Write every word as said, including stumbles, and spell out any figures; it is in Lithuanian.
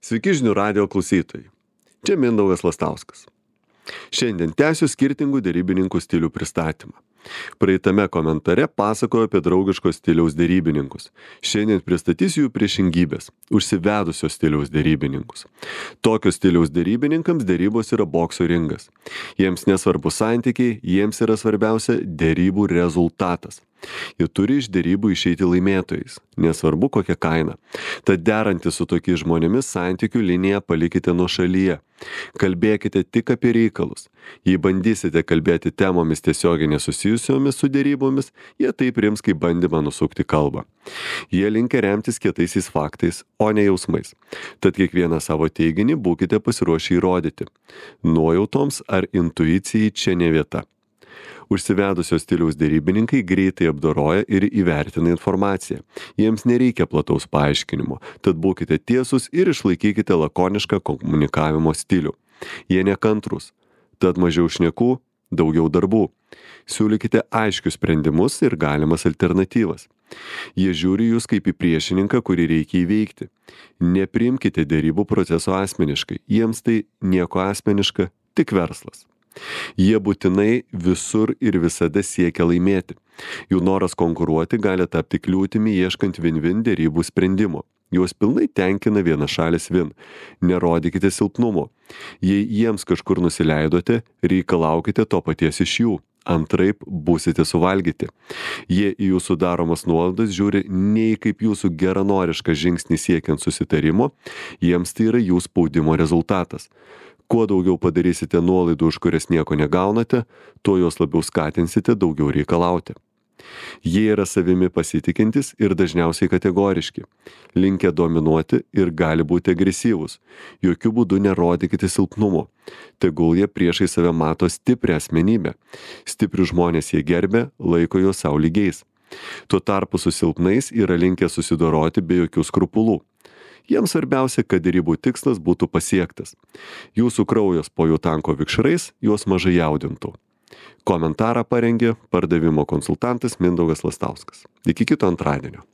Sveiki žinių radijo klausytojai. Čia Mindaugas Lastauskas. Šiandien tęsiu skirtingų derybininkų stilių pristatymą. Praeitame komentare pasakoju apie draugiško stiliaus derybininkus. Šiandien pristatysiu jų priešingybės – užsivedusio stiliaus derybininkus. Tokio stiliaus derybininkams derybos yra bokso ringas. Jiems nesvarbu santykiai, jiems yra svarbiausia derybų rezultatas. Jie turi iš derybų išeiti laimėtojais, nesvarbu kokia kaina. Tad derantis su tokiais žmonėmis santykių liniją palikite nuošalyje. Kalbėkite tik apie reikalus. Jei bandysite kalbėti temomis tiesiogiai nesusijusiomis su derybomis, jie tai priims kaip bandymą nusukti kalbą. Jie linkia remtis kietaisiais faktais, o ne jausmais. Tad kiekvieną savo teiginį būkite pasiruošę įrodyti. Nuojautoms ar intuicijai čia ne vieta. Užsivedusio stiliaus derybininkai greitai apdoroja ir įvertina informaciją. Jiems nereikia plataus paaiškinimo, tad būkite tiesūs ir išlaikykite lakonišką komunikavimo stilių. Jie nekantrūs, tad mažiau šnekų, daugiau darbų. Siūlykite aiškius sprendimus ir galimas alternatyvas. Jie žiūri jūs kaip į priešininką, kurį reikia įveikti. Nepriimkite derybų proceso asmeniškai, jiems tai nieko asmeniška, tik verslas. Jie būtinai visur ir visada siekia laimėti. Jų noras konkuruoti gali tapti kliūtimi ieškant win-win derybų sprendimo. Juos pilnai tenkina vienašalis win. Nerodykite silpnumo. Jei jiems kažkur nusileidote, reikalaukite to paties iš jų. Antraip būsite suvalgyti. Jie į jūsų daromas nuolaidas žiūri nei kaip jūsų geranorišką žingsnį siekiant susitarimo, jiems tai yra jų spaudimo rezultatas. Kuo daugiau padarysite nuolaidų, už kurias nieko negaunate, tuo jos labiau skatinsite daugiau reikalauti. Jie yra savimi pasitikintis ir dažniausiai kategoriški. Linkę dominuoti ir gali būti agresyvūs. Jokių būdų nerodykite silpnumo. Tegul jie priešai save mato stiprią asmenybę. Stiprių žmonės jie gerbia, laiko juos sau lygiais. Tuo tarpu su silpnais yra linkę susidoroti be jokių skrupulų. Jiems svarbiausia, kad derybų tikslas būtų pasiektas. Jūsų kraujas po jų tanko vikšrais juos mažai jaudintų. Komentarą parengė pardavimo konsultantas Mindaugas Lastauskas. Iki kito antradienio.